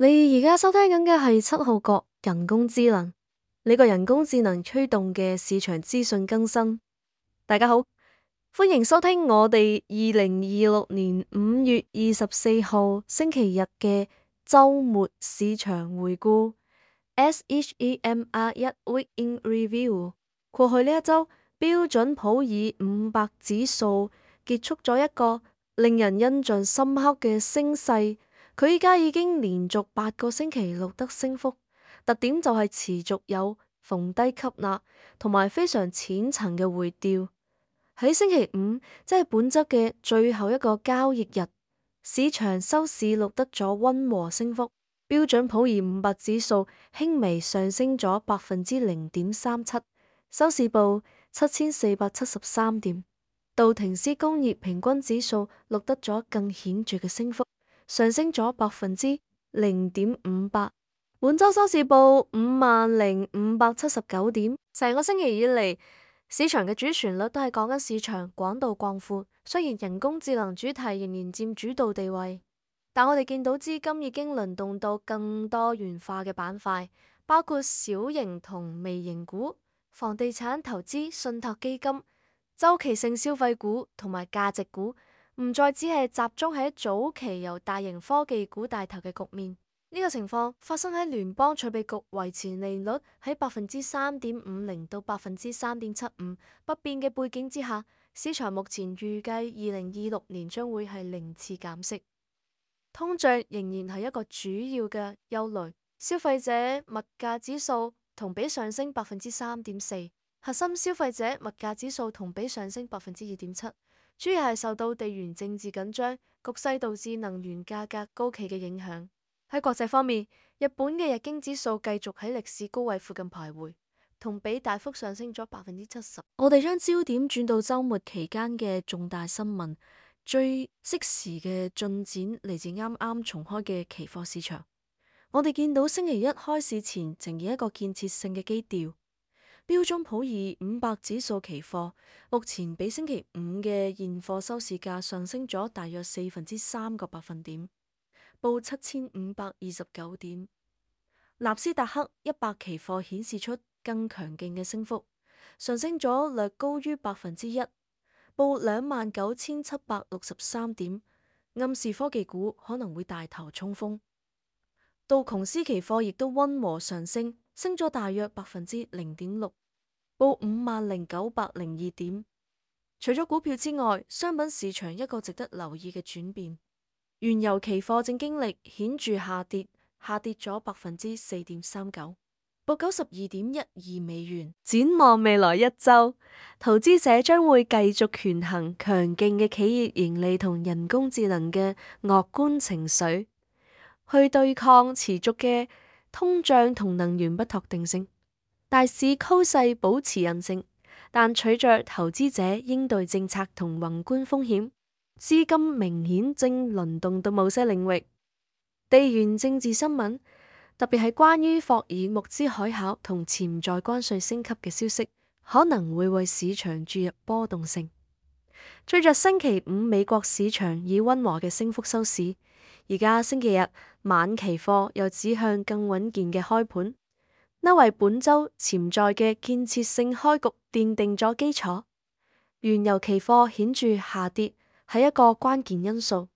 你而家收聽緊嘅係七號角人工智能，呢個人工智能驅動嘅市場資訊更新。大家好，歡迎收聽我哋2026年5月24號星期日嘅週末市場回顧 SHEMR1 Week in Review。過去呢一週，標準普爾500指數結束咗一個令人印象深刻嘅升勢。佢依家已經連續8個星期錄得升幅，特點就係持續有逢低吸納同埋非常淺層嘅回調。喺星期五，即係本週嘅最後一個交易日，市場收市錄得咗溫和升幅。標準普爾500指數輕微上升咗0.37%，收市報7473點。道瓊斯工業平均指數錄得咗更顯著嘅升幅，上升咗0.58%，本周收市報50,579點。成個星期以嚟，市場嘅主旋律都係講緊市場廣度廣闊。雖然人工智能主題仍然佔主導地位，但我哋見到資金已經輪動到更多元化嘅板塊，包括小型同微型股、房地產投資、信託基金、周期性消費股同埋價值股。唔再只係集中喺早期由大型科技股帶頭嘅局面。呢個情況發生喺聯邦儲備局維持利率喺3.50%到3.75%不變嘅背景之下，市場目前預計2026年將會係0次減息。通脹仍然係一個主要嘅憂慮。消費者物價指數同比上升3.4%，核心消費者物價指數同比上升2.7%。主要係受到地緣政治緊張局勢導致能源價格高企嘅影響。喺國際方面，日本嘅日經指數繼續喺歷史高位附近徘徊，同比大幅上升咗70%。我哋將焦點轉到週末期間嘅重大新聞，最適時嘅進展嚟自啱啱重開嘅期貨市場。我哋見到星期一開市前呈現一個建設性嘅基調。標準普爾500指數期貨目前比星期五嘅現貨收市價上升咗大約3%個百分點，報7529點。納斯達克100期貨顯示出更強勁嘅升幅，上升咗略高於1%，報29763點，暗示科技股可能會帶頭衝鋒。道瓊斯期貨亦都溫和上升，升咗大約0.6%，報50,902點。除咗股票之外，商品市場一個值得留意嘅轉變，原油期貨正經歷顯著下跌咗4.39%，報92.12美元。展望未來一周，投資者將會繼續權衡強勁嘅企業盈利同人工智能嘅樂觀情緒，去對抗持續嘅通脹同能源不確定性。大市趨勢保持韌性，但隨着投資者應對政策同宏觀風險，資金明顯正輪動到某些領域。地緣政治新聞，特別係關於霍爾木茲海峽同潛在關稅升級嘅消息，可能會為市場注入波動性。隨着星期五美國市場以溫和嘅升幅收市，而家星期日晚期貨又指向更穩健嘅開盤，呢為本周潛在嘅建設性開局奠定咗基礎。原油期貨顯著下跌係一個關鍵因素。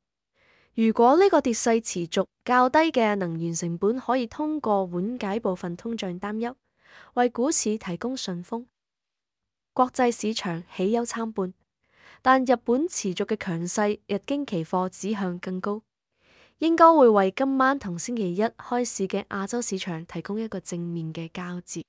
如果呢個跌勢持續，較低嘅能源成本可以通過緩解部分通脹擔憂，為股市提供順風。國際市場喜憂參半，但日本持續嘅強勢，日經期貨指向更高，應該會為今晚同星期一開市嘅亞洲市場提供一個正面嘅交接。